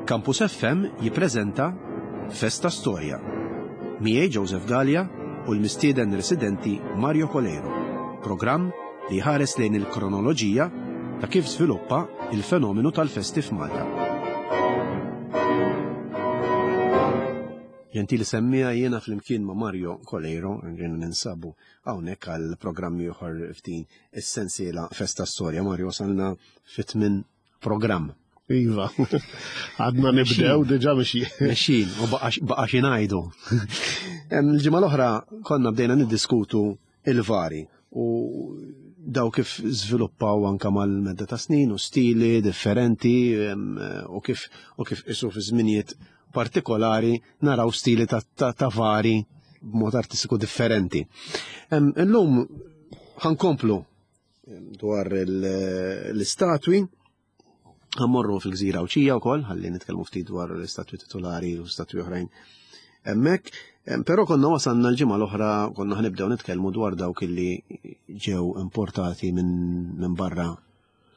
Campus FM jippreżenta Festa Storja. Miegħi Joseph Galea u l-mistieden residenti Mario Coleiro. Programm li jħares lejn il-kronoloġija ta' kif żviluppa il-fenomenu tal-festi f'Malta. Ġentili semmija jiena flimkien ma' Mario Coleiro, ġejna ninsabu hawnhekk għal programm ieħor f'din is-sensiela Festa Storja. Mario wasalna fit-tmien programm. Iva, għadna nibdew diġa mexjin. Mexjin, u baqa xi ngħidu. Il-ġimgħa l-oħra konna bdejna niddiskutu il-vari u daw kif żviluppaw anka mal-medda ta' snin u stili differenti u kif u kif isu fi żminijiet partikolari naraw stili ta', ta, ta vari b'mod artistiku differenti. Illum ħankomplu dwar l-istatwi, ħammorru fil-gżira Għawdxija wkoll, ħalli nitkellmu ftit dwar l-istatwi titolari u statwi oħrajn hemmhekk. Però konna wasalna l-ġimgħa l-oħra konna ħnibdew nitkellmu dwar dawk illi ġew importati minn barra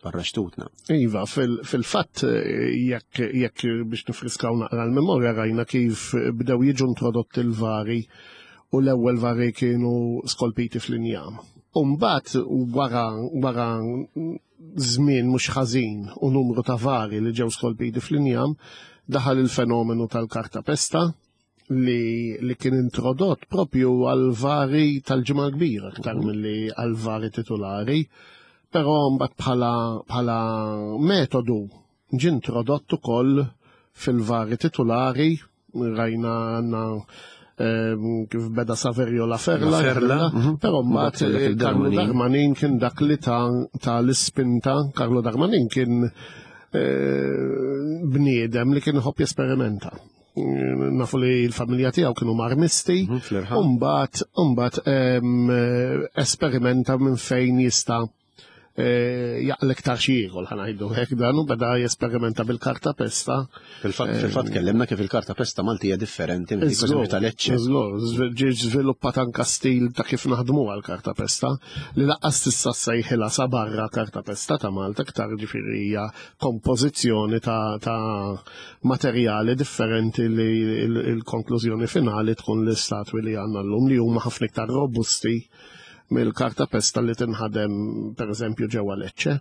barra xtutna. Iva, fil-fatt jekk jekk biex nifriskaw naqra l-memorja rajna kif bdew jiġu introdotti l-vari u l-ewwel vari kienu skolpiti fl-injam. U mbagħad wara wara żmien mhux ħażin u numru ta' vari li ġew skolpiti fl-injam, daħal il-fenomenu tal-karta pesta li, li kien introdott propju għal vari tal-ġimgħa kbira aktar mhm. milli għal vari titulari, però mbagħad bħala bħala metodu ġie introdott ukoll fil-vari titulari rajna għandna ehm, kif beda Saverio La Ferla, Ferla mhm. però mbagħad eh, Carlo Darmanin kien dak li ta' l-ispinta, Carlo Darmanin kien eh, bniedem li kien iħobb jesperimenta. Nafu li l-familja tiegħu kienu marmisti, mhm, u mbagħad mbagħad ehm, esperimenta minn fejn jista' Eh, jaqlek ta' xi ieħor ħanajdu hekk dan u beda jesperimenta bil-karta pesta. Fil-fatt eh, fil-fatt kellimna kif il-karta pesta Maltija differenti minn dik ta' Lecce. Żgur, ġie żviluppat anka stil ta' kif naħdmu għal karta pesta li laqqas tista' sejħilha sa barra karta pesta ta' Malta iktar ġifieri hija kompożizzjoni ta' materjali differenti li l-konklużjoni finali tkun l-istatwi li għandna llum li huma ħafna iktar robusti mill-karta pesta li tinħadem per eżempju ġewwa Lecce.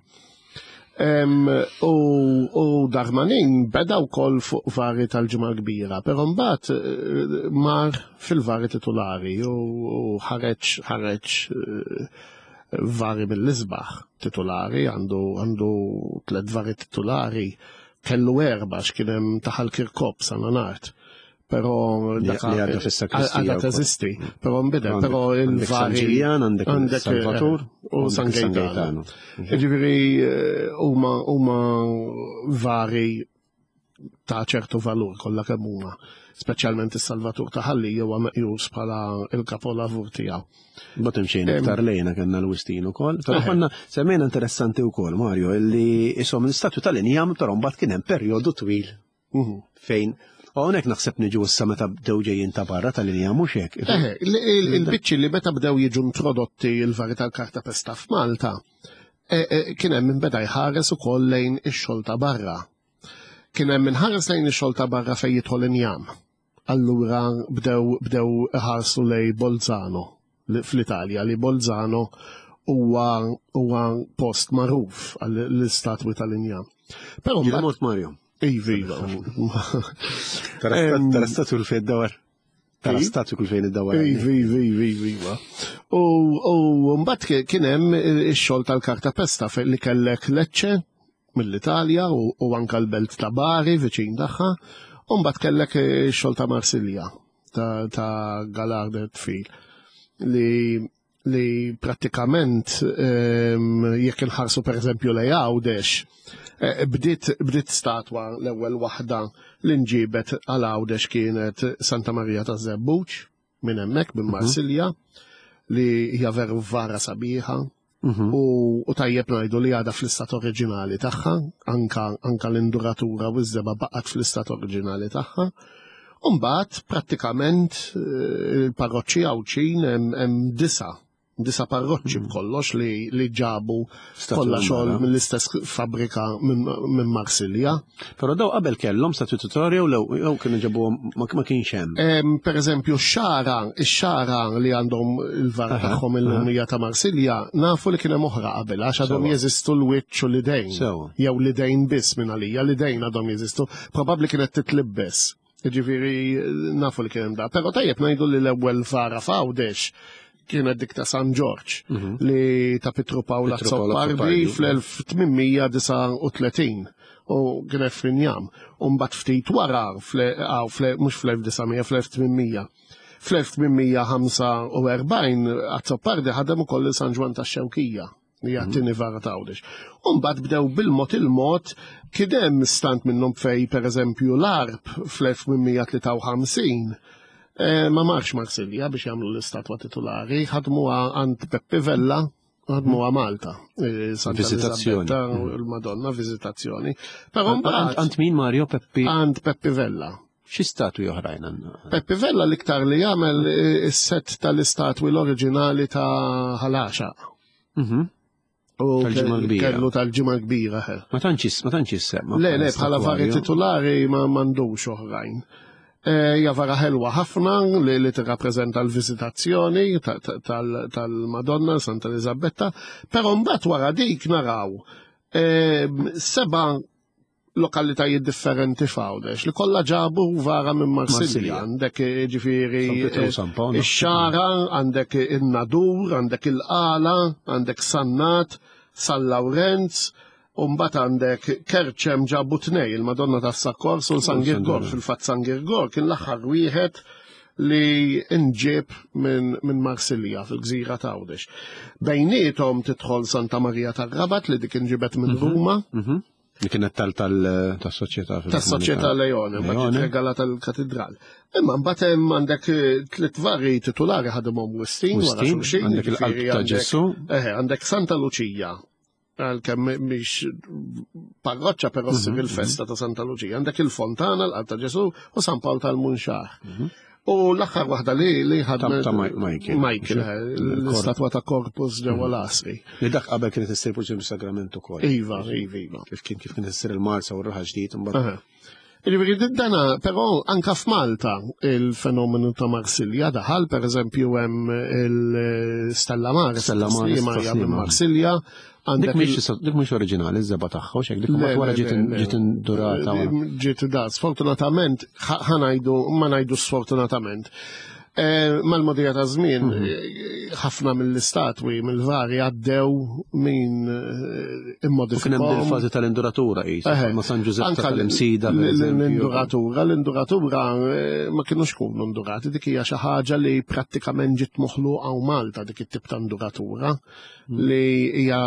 U, u Darmanin beda wkoll fuq vari tal-ġimgħa kbira, però mbagħad eh, mar fil-vari titulari u ħareġ ħareġ eh, vari mill-isbaħ titulari, għandu għandu tliet vari titulari, kellu erba' x'kien hemm taħal Kirkop sa nart. Pero dak li għadha fis-sakristija. Għadha teżisti, però nbidel, però il-vari. San Ġiljan, għandek Salvatur eh, u San Gaetano. Mhm. Ġifieri eh, huma huma vari ta' ċertu valur kollha kemm huma, speċjalment is-Salvatur ta' Ħalli huwa meqjus bħala il-kapolavur tiegħu. Bat imxejn iktar lejna kellna l-Wistin ukoll. Però konna semmejna interessanti wkoll Mario illi isom l-istatju tal-injam però mbagħad kien hemm perjodu twil Mhm. Fejn U hawnhekk naħseb niġu issa meta bdew ġejjin ta' barra tal-linja mhux hekk. Il-biċċi li meta bdew jiġu introdotti l-vari tal-karta pesta f'Malta, e, e, kien hemm min beda jħares ukoll lejn ix-xogħol ta' barra. Kien hemm min ħares lejn ix-xogħol ta' barra fejn jidħol injam. Allura bdew bdew iħarsu lejn Bolzano fl-Italja li Bolzano huwa huwa post magħruf għall-istatwi tal-injam. Però mbagħad Mario. Iva, iva. Tara statwi kull fejn id-dawar. Tara statwi kull fejn id-dawar. Iva, iva, iva, iva, iva. U mbagħad kien hemm ix-xogħol tal-karta pesta fejn li kellek Lecce mill-Italja u anka l-belt ta' Bari viċin tagħha, u mbagħad kellek ix-xogħol ta' Marsilja ta' Galarde Tfil li li prattikament ehm, jekk inħarsu pereżempju lej Għawdex, eh, bdiet bdiet statwa l-ewwel waħda li nġibet għal Għawdex kienet Santa Maria ta' Żebbuġ minn hemmhekk minn mhm. Marsilja li hija veru vara sabiħa. Mhm. U tajjeb ngħidu li għadha fl-istat oriġinali tagħha, anka, anka l-induratura u ż-żeba baqgħet fl-istat oriġinali tagħha. Umbagħad prattikament eh, il-parroċċi Għawdxin hemm disa. Disa parroċċi b'kollox li ġabu kollha xogħol mill-istess fabbrika minn Marsilja. Però daw qabel kellhom statwi titolari jew jew kienu ġabuhom ma kienx hemm. Per eżempju x-xara, ix-xara li għandhom il-vara tagħhom illum hija ta' Marsilja, nafu li kien hemm oħra qabel għax għadhom jeżistu l-wiċċ u l-idejn. Jew l-idejn biss minn għalija, l-idejn għadhom jeżistu. Probabbli kienet titlibbes. Ġifieri nafu li kien hemm da. Però tajjeb ngħidu li l-ewwel vara f'Għawdex kienet dik ta' San Ġorġ li ta' Pietru Pawl Azzopardi fl-1839 u kienet fl-injam. U mbagħad ftit wara, mhux fl-1900, fl-1800. Fl-1845 Azzopardi ħadem ukoll San Ġwann tax-Xewkija li hija t-tieni vara ta' Għawdex. U mbagħad bdew bil-mod il-mod kien hemm stant minnhom fej pereżempju l-Għarb fl-1853 ma marx Marsilja biex jagħmlu l-istatwa titulari, ħadmuha għand Peppi Vella, ħadmuha Malta. Santa Viżitazzjoni. Eliżabetta, il-Madonna, viżitazzjoni. Però mbagħad Għand min Mario Peppi? Għand Peppi Vella. Xi statwi oħrajn għandna? Peppi Vella l-iktar li jagħmel is-set tal-istatwi l-oriġinali ta' Ħal Għaxaq. U Tal-Ġimgħa l-Kbira. Kellu tal-Ġimgħa l-Kbira, he. Ma tantx ma tantx jissemma. Le, le, bħala vari titulari ma m'għandux oħrajn. Hija vara ħelwa ħafna li tirrappreżenta l-viżitazzjoni tal-Madonna Santa Eliżabetta, però mbagħad wara dik naraw seba' lokalitajiet differenti f'Għawdex li kollha ġabu vara minn Marsilja. Għandek ġifieri San Pietru u San Pawl. ix-Xagħra, għandek in-Nadur, għandek il-Qala, għandek Sannat, San Lawrenz, u mbagħad għandek Kerċem ġabu tnej, il-Madonna tas-Sakkors u San Girgor. Fil-fatt San Girgor kien l-aħħar wieħed li nġieb minn Marsilja fil-gżira ta' Għawdex. Bejniethom tidħol Santa Marija tar-Rabat li dik inġibet minn Ruma. Li kienet tas-soċjetà fil- Tas-soċjetà Leone, mbagħad Leone. regala tal-katedral. Imma mbagħad hemm għandek tliet vari titulari ħadimhom Wistin wara Wistin, xulxin, għandek il-qalb jiġifieri ta' għandek Ġesù. Eħe, għandek Santa Luċija, għalkemm mhix parroċċa però ssir il-festa ta' Santa Luċija. Għandek il-Fontana, l-qalb ta' Ġesù u San Pawl tal-Munxar. U l-aħħar waħda li ħadmet Ta' Michael. Michael, l-istatwa ta' Corpus ġewwa l-Għasri. Li dak qabel kienet issir purċin bis-sagrament ukoll. Iva, iva, iva. Kif kien kif kienet issir il-Marsa u r-raħal ġdid imbagħad. Jiġifieri dana, però anka f'Malta il-fenomenu ta' Marsilja daħal, per eżempju hemm il-Stella Maris, Stella Maris, Maria minn Taslima. Marsilja, Dik għandek mhix dik mhix oriġinali iż-żebgħa tagħha u x'hekk dik Le, mbagħad wara le, ġiet le, le. ġiet indurata. wara. Ġiet da, sfortunatament, ħanajdu, ma ngħidu sfortunatament. Mal-modija ta' żmien, ħafna mill-istatwi, mill-vari għaddew min U kien hemm immodifikom. il-fażi tal-induratura qis, Eħe. ma' San Ġużepp Anka tal-Imsida. per eżempju. l-induratura, ma kienux kunu indurati, dik hija xi ħaġa li prattikament ġiet moħluqa u Malta dik it-tip ta' induratura li hija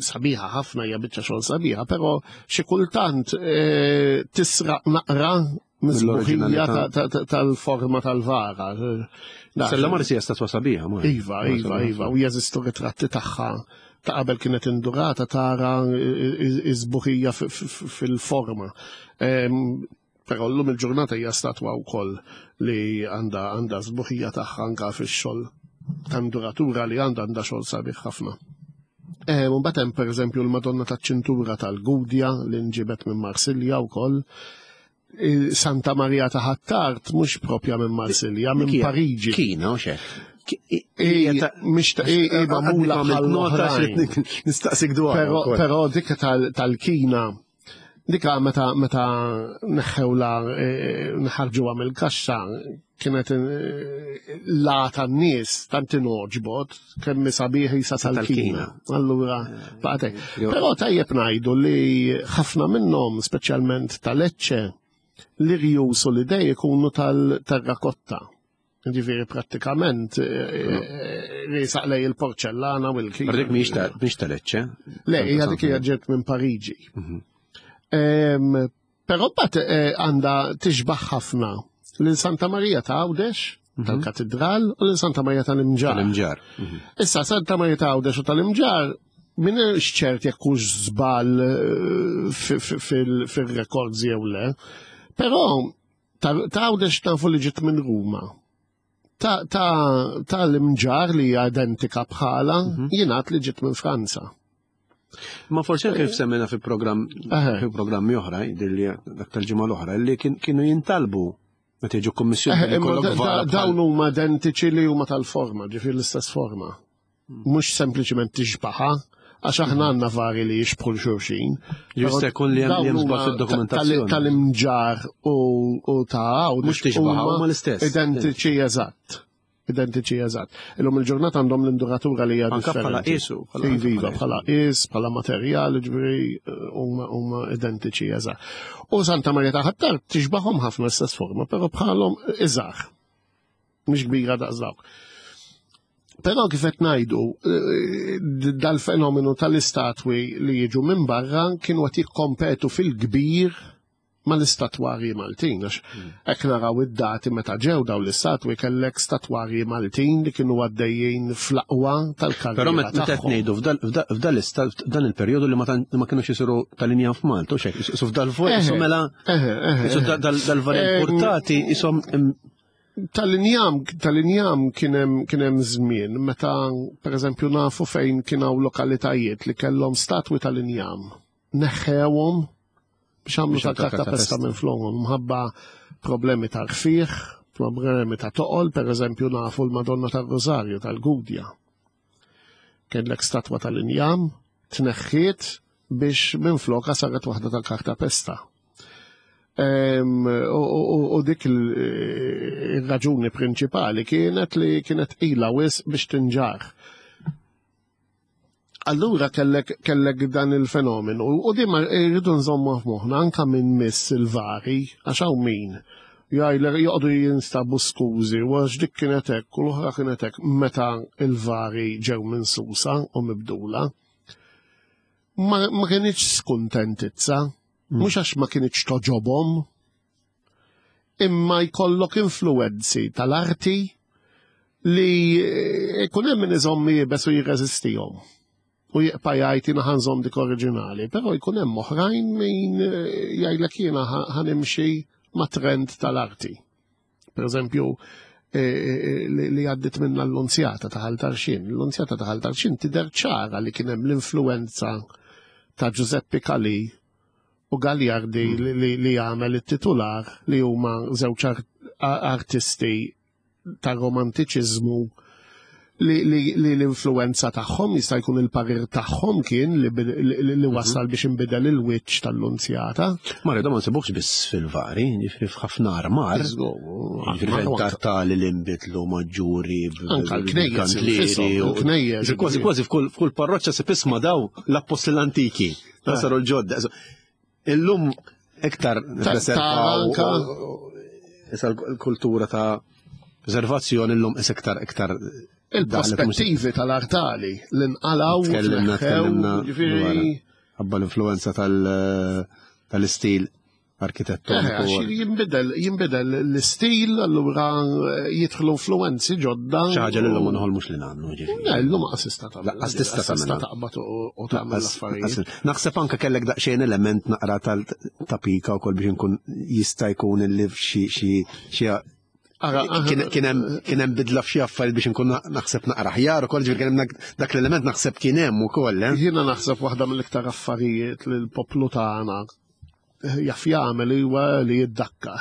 sabiħa ħafna, hija biċċa xogħol sabiħa, però xi kultant tisraq naqra mis-sbuħija Mill-oriġinalità. tal-forma tal-vara. Stella Maris hija statwa sabiħa, ma. Iva, iva, iva, u jeżistu ritratti tagħha ta' qabel kienet indurata tara iż-sbuħija fil-forma. Però llum il-ġurnata hija statwa wkoll li għandha sbuħija tagħha anka fix-xogħol ta' induratura li għandha xogħol sabiħ ħafna. U mbagħad hemm pereżempju l-Madonna taċ-Ċintura tal-Gudja li nġibet minn Marsilja wkoll. Santa Maria ta' Ħ'Attard mhux propja minn Marsilja, minn Dik hija Pariġi. Kina u xek. Mhix ta' i magħmula bħal oħrajn. Nistaqsik dwar. Però dik tal-Kina, dika meta neħħewla, nħarġuha mill-kaxxa, kienet la tan-nies tant inogħġbot kemm sabiħ isa tal-Kina. Allura baqgħet hekk. Però tajjeb ngħidu li ħafna minnhom, speċjalment tal-Lecce, li rjus u l-idej ikunu tal-terrakotta. Ġifieri prattikament risaq lej il-porċellana u l-kina. Dik mhix ta' Lecce. Le, hija dik hija ġiet minn Pariġi. Però mbagħad għandha tixbaħ ħafna lil Santa Marija ta' Għawdex, tal-Katedral, u lil Santa Marija tal-Imġarr. Tal-Imġarr. Issa Santa Marija ta' Għawdex u tal-Imġarr minn xċert jekk hux żball fil-rekords jew le, però ta' Għawdex tafu li ġiet minn Ruma. Ta' l-imġar li hija identika bħala jingħad li ġiet minn Franza. Ma forsi anke kif semmejna fi programm fi programmi oħra, li dak tal-ġimgħa l-oħra, li kienu jintalbu meta jiġu kummissjoni. Dawn huma identiċi li huma tal-forma, ġifier l-istess forma. Mhux sempliċement tixbaħa, għax aħna għandna vari li jixbħu l-xulxin. Jista' jkun li hemm żball fid-dokumentazzjoni. Tal-imġar u ta' hawn. Mhux tixbaħ huma l-istess. Identiċi eżatt. Identiċi eżatt. Illum il-ġurnata għandhom l-induratura li hija Anka bħala qisu. Iva, bħala qis, bħala materjal, ġifieri huma identiċi eżatt. U Santa Maria ta' Ħattar tixbaħhom ħafna l-istess forma, però bħalhom iżgħar. Mhix kbira daqs dawk. Però kif qed ngħidu, dal-fenomenu tal-istatwi li jiġu minn barra kienu qed jikkompetu fil-kbir mal-istatwarji Maltin, għax hmm. hekk naraw id-dati meta ġew daw l-istatwi kellek statwarji Maltin li kienu għaddejjin fl-aqwa tal-karriera. Però meta qed ngħidu f'dan il-perjodu li ma kienux isiru tal-inja f'Malta, u xek, su f'dal-fuq, su mela, dal-vari importati, isom Tal-injam, tal-injam kien hemm żmien meta pereżempju nafu fejn kien hawn lokalitajiet li kellhom statwi tal-injam. Neħħewhom biex għamlu tal-karta pesta minn flowhom mħabba problemi ta' rfiħ, problemi ta' toqol, per eżempju nafu l-Madonna tal-Rosario tal-Gudja. Kellek statwa tal-injam, tneħħiet biex minn floka saret waħda tal-karta pesta. U dik il-raġuni prinċipali kienet li kienet ila wis biex tinġar. Allura kellek, kellek dan il-fenomenu u di ma rridu nżommu f'moħħna anka minn miss il-vari għax hawn min jgħidlek joqogħdu jinstabu skużi u għax dik kienet hekk u l-oħra kienet hekk meta il-vari ġew minn Susa u mibdula. Ma, ma kienx skuntentizza, hmm. mhux għax ma kienx toġobhom, imma jkollok influwenzi tal-arti li jkun hemm min iżomm iebes u jirreżistihom u jibqa' jgħid jiena ħanżomm dik oriġinali, però jkun hemm oħrajn min eh, jgħidlek jiena ħanimxi ma' trend tal-arti. Per eżempju, eh, eh, li għaddit minna l-Lunzjata ta' Ħal Tarxien. L-Lunzjata ta' Ħal Tarxien tidher ċara li kien hemm l-influenza ta' Giuseppe Calì u Gagliardi mm. li għamel it-titular li huma żewġ artisti tar-romantiċiżmu li l-influenza tagħhom jista' jkun il-parir tagħhom kien li mhm. wasal biex inbidel il-wiċċ tal-lunzjata. Mario, da ma nsibux biss fil-vari, ġifieri f'ħafna armar. Ġifieri tali li nbidlu maġġuri, anka l-knejjes, il-knejjes. Kważi kważi f'kull parroċċa se tisma' daw l-appostli l-antiki. Ta' saru l-ġodda. Illum iktar preservaw issa l-kultura ta' preservazzjoni illum is iktar iktar il-prospettivi tal-artali li nqalaw tkellimna tkellimna ħabba l-influenza tal-istil arkitettoniku. Eh, jinbidel, jinbidel l-istil, allura eh, jidħlu influenzi ġodda. Xi ħaġa li l-lum nħolmux li nagħmlu ġifieri. Le, llum qas tista' tagħmel. Laqqas tista' tagħmel. taqbad u tagħmel l-affarijiet. Naħseb anke kellek daqsxejn element naqra tal-tapika wkoll biex inkun jista' jkun illi xi xi kien hemm bidla f'xi affarijiet biex inkun naħseb naqra ħjar ukoll ġifieri kien hemm dak l-element naħseb kien hemm ukoll. Eh? Jiena naħseb waħda mill-iktar affarijiet li l-poplu tagħna jaf jagħmel huwa li jiddakka.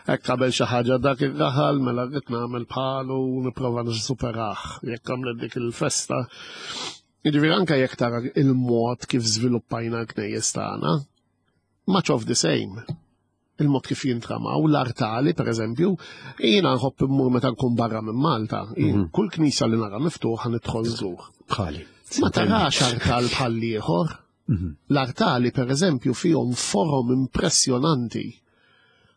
Hekk qabel xi ħaġa dak ir-raħal mela rrid nagħmel bħalu u nipprova nisuperah jekk għamlet dik il-festa. Jiġifieri anke jekk tara il-mod kif żviluppajna l-knejjes tagħna, much of the same. Il-mod kif jintramaw, l-artali, per eżempju, jiena nħobb immur meta nkun barra minn Malta. Mhm. Kull knisa li nara miftuħa nidħol żgur. Bħali. Ma tarax artal bħal ieħor. Mhm. L-artali, per eżempju, fihom forom impressjonanti.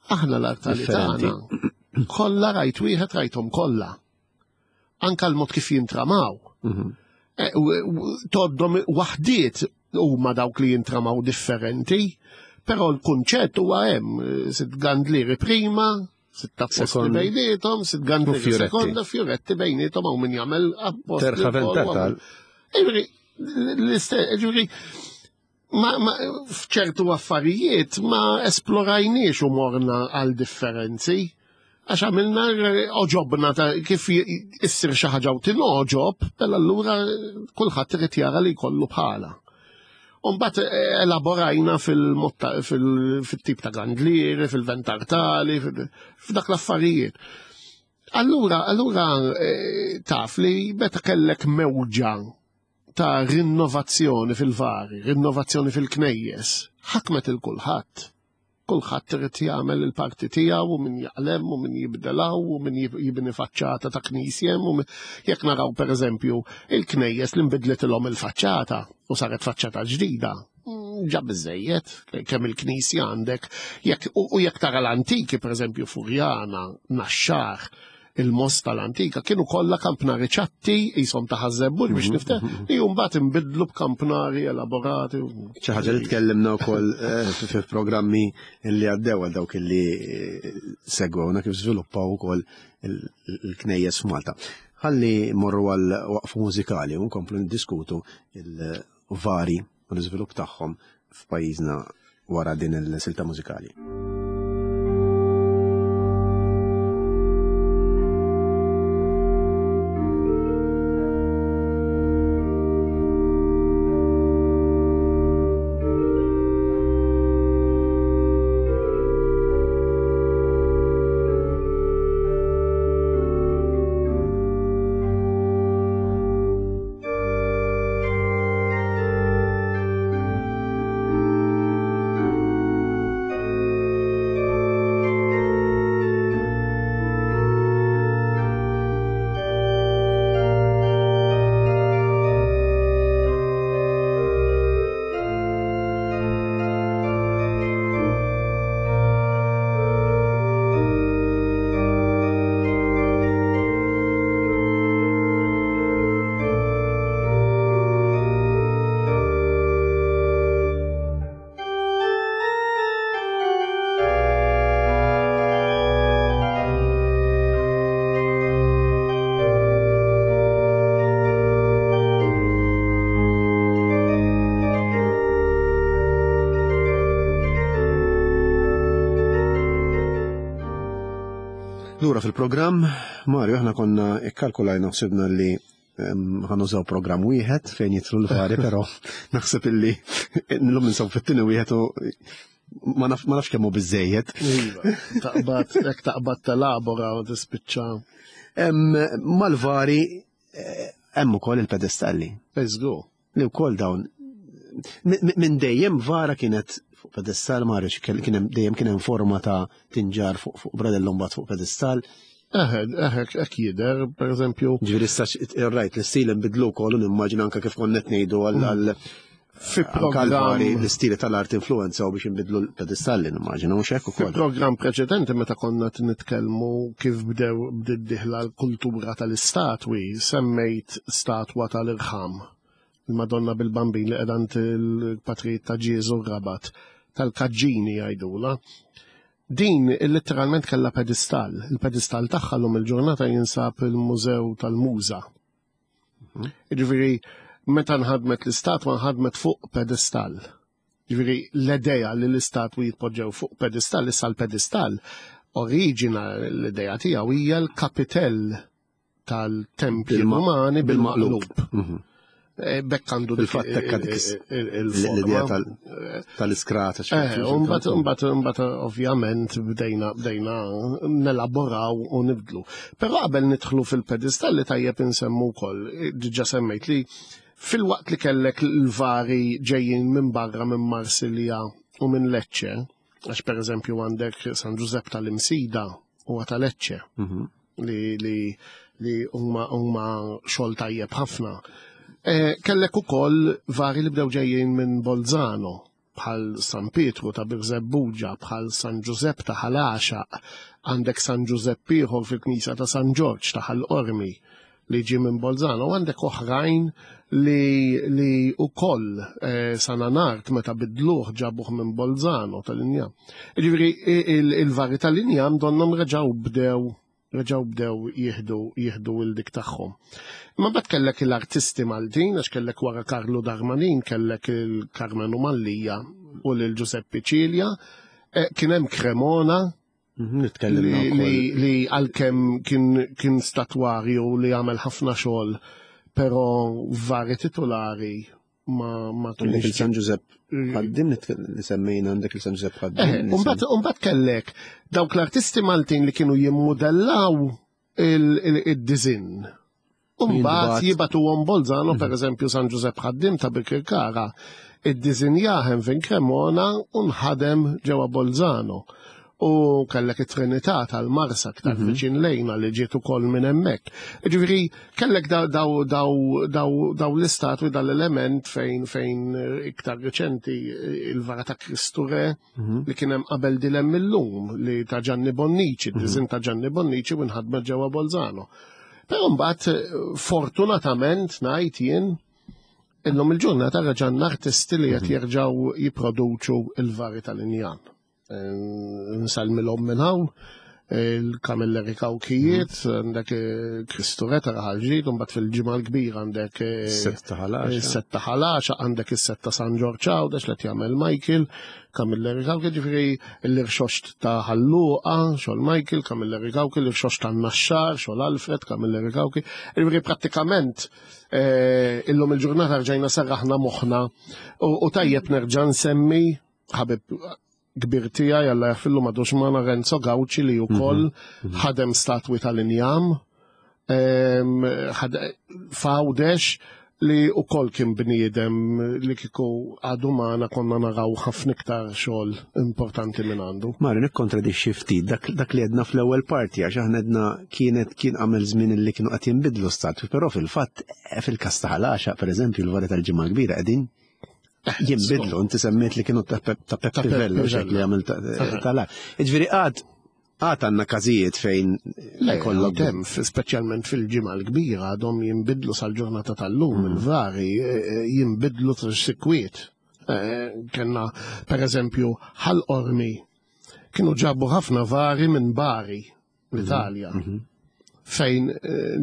Aħna l-artali tagħna kollha rajt wieħed rajthom kollha. Anka l-mod kif jintramaw. Mhm. Eh, toddhom waħdiet huma dawk li jintramaw differenti, però l-kunċett huwa hemm eh, sitt gandlieri prima, sitt apposti bejnietom, sitt gandlieri sekonda, fjuretti bejnietom hawn min jagħmel apposti. Terħaven Ġifieri, ma, ma f'ċertu affarijiet ma esplorajniex u morna għal differenzi. Għax għamilna oġobna ta' kif issir xi ħaġa u tinogħġob, mela allura kulħadd irid jara li jkollu bħala. Umbat eh, elaborajna fil-tip ta' gandlieri, fil-ventartali, f'dak l-affarijiet. Allura, allura eh, taf li meta kellek mewġa ta' rinnovazzjoni fil-vari, rinnovazzjoni fil-knejjes, ħakmet il-kulħadd. Kulħadd irid jagħmel il-parti tiegħu u min jaqlem u min jibdelaw u min jibni faċċata ta' knisja u jekk naraw pereżempju il-knejjes li nbidlitilhom il-faċċata u saret faċċata ġdida. Mm, ġa biżejjed kemm il-knisja għandek jekk u jekk tara l-antiki pereżempju Furjana, Naxxar, il-Mosta l-antika kienu kollha kampnari ċatti jisom ta' ħażebbuġ biex mhm, nifteħ mhm. li mbagħad inbidlu b'kampnari elaborati. Xi ħaġa li tkellimna wkoll eh, fi programmi li għaddew għal dawk li eh, segwewna kif żviluppaw ukoll il-knejjes f'Malta. Ħalli morru għal waqfu mużikali u nkomplu niddiskutu il-vari u l-iżvilupp tagħhom f'pajjiżna wara din il-silta mużikali. Lura fil-programm, Mario, aħna konna ikkalkulajna ħsibna li ħanużaw programm wieħed fejn jitlu l-vari, però naħseb illi l-lum ninsaw fit-tieni wieħed u ma nafx kemm hu biżejjed. Iva, taqbad, jekk taqbad telabora u tispiċċa. Mal-vari eh, hemm ukoll il-pedestalli. Eżgu. Li wkoll dawn minn dejjem vara kienet fuq pedestal ma rridx kien hemm dejjem kien hemm forma ta' tinġar fuq fuq bradellum bat fuq pedestal. Eħe, eħe, hekk jidher, per eżempju. Ġifieri issa rajt l-istil inbidlu wkoll u nimmaġina anke kif konna qed ngħidu għal mm. Fi programm l-istili tal-art influenza u biex inbidlu l-pedestalli nimmaġina mhux hekk ukoll. Fi programm preċedenti meta konna nitkellmu kif bdew bdiet diħla l-kultura tal-istatwi, semmejt statwa tal-irħam il-Madonna bil-Bambin li qiegħda il-patrijiet ta' Ġieżu Rabat tal-Kaġġini jgħidula. Din letteralment kellha pedestal. Il-pedestal tagħha lum il-ġurnata jinsab il-Mużew tal-Muża. Mhm. Ġifieri meta nħadmet l-istatwa nħadmet fuq pedestal. Ġifieri l-idea li l-istatwi jitpoġġew fuq pedestal, issa l-pedestal oriġina l-idea tiegħu hija l-kapitell tal-tempji Rumani bil-maqlub. Mhm. Eh, bekk għandu dik l-idea tal-iskrata. Eh, mbagħad mbagħad ovvjament bdejna bdejna nelaboraw u nibdlu. Però qabel nidħlu fil-pedestalli tajjeb insemmu wkoll, diġà semmejt li fil-waqt li kellek l-vari ġejjin minn barra minn Marsilja u minn Lecce, għax per eżempju għandek San Giuseppe tal-Imsida huwa ta' Lecce. Mhm. li li li huma huma xogħol tajjeb ħafna. E, kellek ukoll vari li bdew ġejjin minn Bolzano bħal San Pietru ta' Birżebbuġa, bħal San Ġużepp ta' Ħal Għaxaq, għandek San Ġużepp ieħor fil-Knisja ta' San Ġorġ ta' Ħal Qormi li ġie minn Bolzano, u għandek oħrajn li li ukoll eh, San Anart meta bidluh ġabuh minn Bolzano tal-injam. Ġifieri il-vari tal-injam donnhom reġgħu bdew reġgħu bdew jieħdu jieħdu il dik tagħhom. Imma mbagħad kellek l-artisti Maltin għax kellek wara Karlu Darmanin, kellek il-Karmenu Mallija u lil Giuseppe Cilia, eh, kien hemm Cremona. Nitkellimna Li, li għalkemm kien, kien statwarju li għamel ħafna xogħol, però vari titolari ma ma kienx. Il-San Ġużepp ħaddim li semmejna għandek il-San Ġużepp ħaddim. Eh, Umbat kellek dawk l-artisti Maltin li kienu jimmudellaw il-dizin. Umbat jibatu għom Bolzano, per eżempju, San Ġużepp ħaddim ta' Birkirkara, id-dizinjaħem fin Cremona u nħadem ġewwa Bolzano. U kellek it-Trinità tal-Marsa aktar viċin lejna li ġiet ukoll minn hemmhekk. Ġifieri kellek daw daw daw daw daw l-istatwi dal-element fejn fejn iktar riċenti il-vara ta' Kristu Re li kien hemm qabel dilem illum li ta' Gianni Bonnici, id-diżin ta' Gianni Bonnici u nħadmet ġewwa Bolzano. Però mbagħad fortunatament ngħid jien illum il-ġurnata reġgħanna artisti li qed jerġgħu jipproduċu il-vari tal-injan. Nsalmilhom minn hawn, il-Camilleri Kawkijiet, għandek Kristu Re ta' Raħal Ġdid, u mbagħad fil-ġimgħa l-kbira għandek Setta Ħalaxa. Setta Ħalaxa, għandek is-setta San Ġorġ Għawdex li qed jagħmel Michael, Camilleri Kawki, ġifieri l-irxoxt ta' Ħal Luqa, xogħol Michael, Camilleri Kawki, l-irxoxt ta' Naxxar, xogħol Alfred, Camilleri Kawki. Ġifieri prattikament illum il-ġurnata rġajna serraħna moħħna u tajjeb nerġa' nsemmi ħabib kbir tiegħi Alla jaħfillu m'għadux magħna Renzo Gauci li wkoll ħadem statwi tal-injam f'Għawdex li wkoll kien bniedem li kieku għadu magħna konna naraw ħafna iktar xogħol importanti minn għandu. Mario, nikkontradixxi ftit dak, dak li għedna fl-ewwel parti għax aħna għedna kienet kien għamel żmien li kienu qed jinbidlu statwi, però fil-fatt fil-każ ta' Ħal Għaxaq, pereżempju, l-vari tal-Ġimgħa l-Kbira qegħdin jinbidlu, inti semmejt li kienu ta' Peppi Vella, li għamil tal Ġifieri għad għad għandna każijiet fejn kollok hemm, speċjalment fil-ġimgħa l-kbira għadhom jinbidlu sal-ġurnata tal-lum il-vari jinbidlu sikwiet. Kenna per eżempju Ħal Qormi kienu ġabu ħafna vari minn Bari l-Italja. Fejn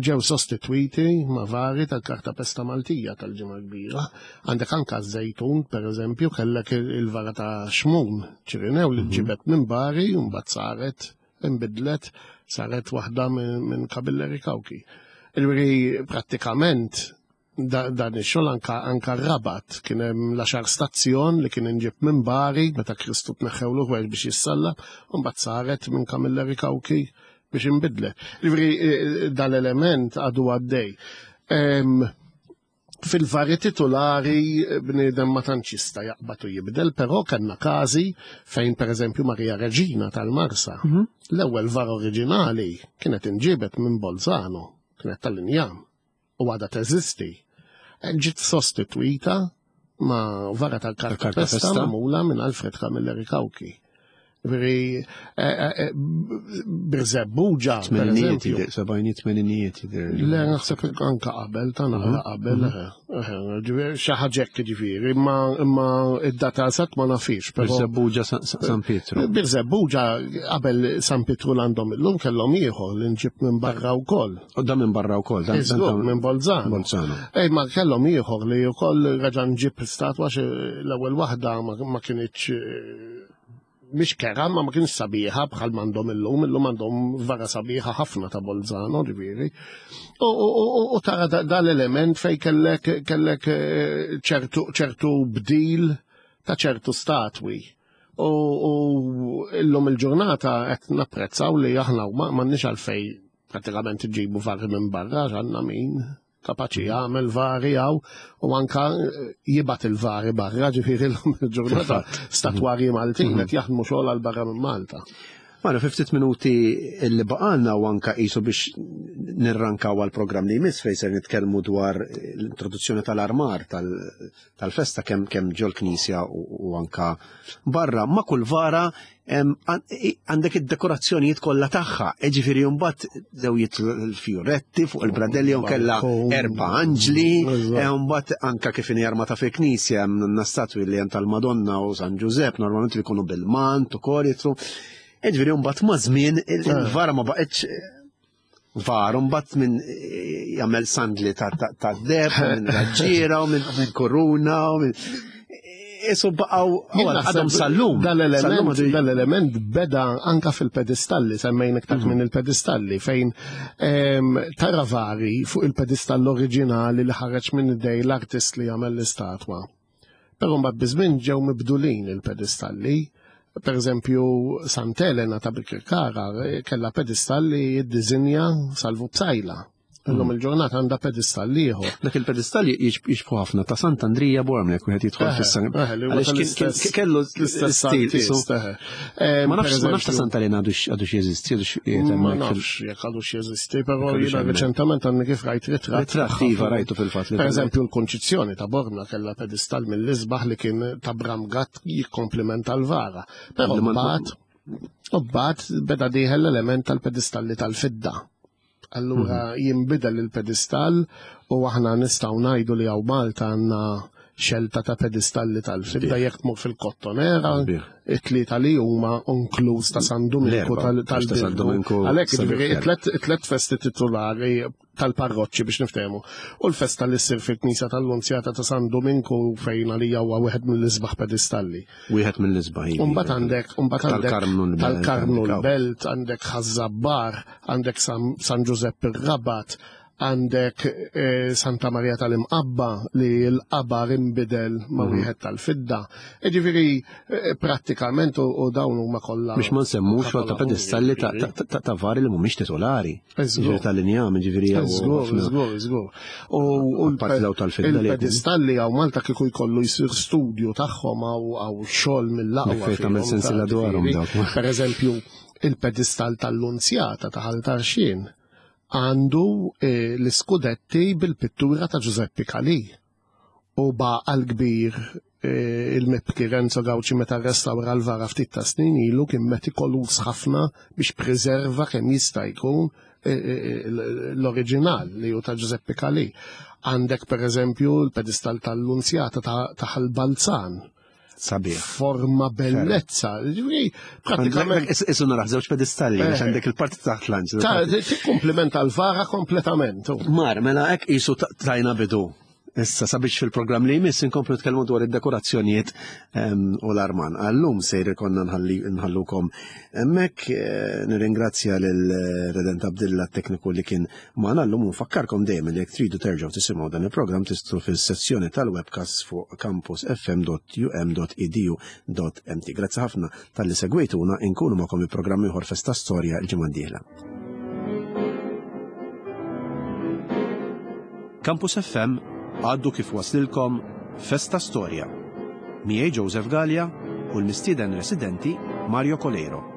ġew sostitwiti ma' vari tal-kartapesta Maltija tal-Ġimgħa Kbira. Għandek anka ż-Żejtun, per eżempju, kellek il-vara ta' Xmun Ċirinew li ġibet minn Bari u mbagħad saret inbidlet, saret waħda minn Camilleri Kawki. Ġifieri prattikament dan ix-xogħol anka anka r-Rabat kien hemm l-għaxar stazzjon li kien inġib minn Bari meta Kristu tneħħewlu ħwejjeġ biex jissallab, u mbagħad saret minn Camilleri Kawki biex inbidlet. Ġifieri dal-element għadu għaddej. Fil-vari titolari bniedem ma tantx jista' jaqbad u jibdel, però kellna każi fejn pereżempju Maria Reġina tal-Marsa, l-ewwel var oriġinali kienet inġibet minn Bolzano, kienet tal-injam u għadha teżisti. Ġiet sostitwita ma' vara tal-kartapesta magħmula minn Alfred Camilleri Kawki. Ġifieri Birżebbuġa, per eżempju. Sebgħinijiet, tmeninijiet jidher. Le, naħseb anka qabel, ta' naqra qabel, ġifieri xi ħaġa hekk ġifieri, imma id-data eżatt ma nafix. Birżebbuġa San Pietru. Birżebbuġa qabel San Pietru l-għandhom illum kellhom ieħor li nġib minn barra wkoll. U dan minn barra wkoll, dan minn Bolzano. Bolzano. Ej, ma kellhom ieħor li wkoll reġa' nġib statwa xi l-ewwel waħda ma kinitx mhix kera, ma ma kienx sabiħa bħal m'għandhom illum, illum għandhom vara sabiħa ħafna ta' Bolzano, ġifieri. U tara dal-element fej kellek kellek ċertu bdil ta' ċertu statwi. U illum il-ġurnata qed napprezzaw li aħna m'għandniex għalfej pratikament ġibu vari minn barra, għandna min kapaċi jagħmel vari hawn u anka jibgħat il-vari barra, ġifieri llum il-ġurnata statwarji Maltin qed jaħdmu xogħol għal barra minn Malta. Mara, fi ftit minuti li baqalna u anka qisu biex nirrankaw għal programm li jmiss fejn ser nitkellmu dwar l-introduzzjoni tal-armar tal-festa kemm kemm ġol-knisja u anka barra. Ma' kull vara għandek id-dekorazzjonijiet kollha tagħha, ġifieri mbagħad dew jitlu l-fjuretti fuq il-bradelli u kellha erba' anġli, mbagħad anka kif inhi armata fil-knisja hemm statwi li hemm tal-Madonna u San Ġużepp normalment li jkunu bil-mant ukoll jitlu. Ġifieri mbagħad ma' żmien il-vara ma baqgħetx var, mbagħad minn jagħmel sandli ta' deb, minn raġġiera, u minn koruna, u minn. Isu baqgħu għadhom sal-lum. Dal-element beda anka fil-pedestalli, semmejn iktar minn il-pedestalli, fejn tara vari fuq il-pedestall oriġinali li ħareġ minn idej l-artist li jagħmel l-istatwa. Però mbagħad biż-żmien ġew mibdulin il-pedestalli. Per eżempju, Sant'Elena ta' Bikirkara kellha pedestall li jiddiżinja Salvu Psaila. Illum il-ġurnata għandha pedestall ieħor. Dak il-pedestall jixbħu ħafna ta' Sant'Andrija Bormla jekk wieħed jidħol fis-san. Għaliex kellu l-istess stil. Ma nafx ma nafx ta' Sant'Elena għadux jeżisti, għadux Ma nafx jekk għadux jeżisti, però jiena reċentament għandni kif rajt ritratt. Ritratt iva rajtu fil-fatt. Per eżempju l-Konċizzjoni ta' Bormla kellha pedestall mill-isbaħ li kien ta' Bram Gatt jikkomplimenta l-vara. Però mbagħad mbagħad beda dieħel l-element tal-pedestalli tal-fidda. Allura jinbidel il-pedestall u aħna nistgħu ngħidu li hawn Malta għandna xelta ta' pedestalli tal-fidda jekk tmur fil-Kottonera, it-tlieta li huma inkluż ta' San Duminku tal-Birgu. Għalhekk jiġifieri it-tliet festi titulari tal-parroċċi biex niftehmu. U l-festa li ssir fil-Knisja tal-Lunzjata ta' San Duminku fejn għalija huwa wieħed mill-isbaħ pedestalli. Wieħed mill-isbaħ. Iva. Umbagħad għandek umbagħad għandek tal-Karmnu l-Belt, għandek Ħaż-Żabbar, għandek San Ġużepp ir-Rabat, għandek eh, Santa Maria tal-Imqabba li l-qabar imbidel ma' wieħed tal-fidda. Ġifieri eh, prattikament u dawn huma kollha. Biex ma nsemmux ta' pedestalli ta' vari li mhumiex titolari. Ġifieri tal-injam, ġifieri. Żgur, żgur, żgur. U l-pedestalli hawn Malta kieku jkollu jsir studju tagħhom hawn xogħol mill-aqwa. Fejn tagħmel sensiela dwarhom dawk. Per eżempju, il-pedestall tal-Lunzjata ta' Ħal Tarxien għandu eh, l-iskudetti bil-pittura ta' Giuseppe Calì. U baqal kbir eh, il-mibki Renzo Gauci meta rrestawra l-vara ftit ta' snin ilu kien metikoluż ħafna biex preserva kemm jista' jkun eh, l-oriġinal li hu ta' Giuseppe Calì. Għandek per eżempju l-pedestall tal-Lunzjata ta' Ħal-Balzan Sabiħ. Forma bellezza. Pratikament. Isu naraħ żewġ pedestalli, għax eh. għandek il-parti taħt l-anġ. Tikkumplimenta l-vara kompletament. Mar, mela hekk isu tajna bidu. Issa sabiex fil-programm li jmiss inkomplu nitkellmu dwar id-dekorazzjonijiet ehm, u l-arman. Għallum sejr konna nħallukom hemmhekk eh, nirringrazzja lil eh, Redent Abdilla tekniku li kien magħna llum u nfakkarkom dejjem li jekk tridu terġgħu tisimgħu dan il-programm tistgħu fis-sezzjoni tal-webcast fuq campusfm.um.edu.mt. Grazzi ħafna talli segwejtuna inkunu magħkom il-programm ieħor Festa Storja l-ġimgħa d-dieħla. Campus FM għaddu kif waslilkom Festa Storja. Miegħi Joseph Gallia u l-mistieden residenti Mario Coleiro.